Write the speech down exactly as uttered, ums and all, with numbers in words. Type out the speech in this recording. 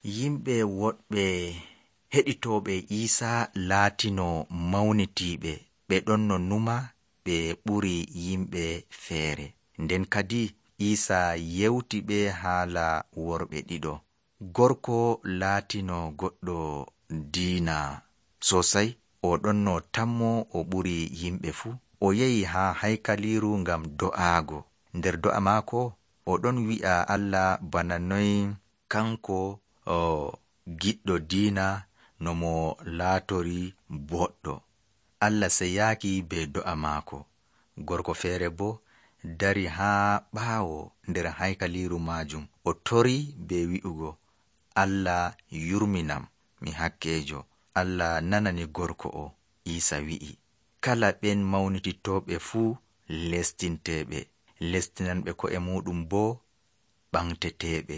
Yimɓe woɗɓe heɗitooɓe Iisaa laatino mawnitiiɓe, ɓe ɗon no numa ɓe ɓuri yimɓe feere. Nden kadi Iisaa yewti ɓe haala worɓe ɗiɗo. Gorko laatino goɗɗo diina sosai, o ɗon no tammo o ɓuri yimɓe fuu. O yehi haa haykaliiru ngam do'aago. Nder do'a maako o ɗon wi'a Allah bana noy kanko o giɗɗo diina no mo laatori boɗɗo. Allah seyaaki be do'a maako. Gorko feere bo dari haa ɓaawo nder haykaliiru maajum, o tori be wi'ugo, Allah yurminam, mi hakkeejo. Allah nanani gorko o. Iisaa wi'i, kala ɓen mawnititooɓe fuu lestinteeɓe, lestinanɓe ko'e muɗum bo ɓamteteeɓe.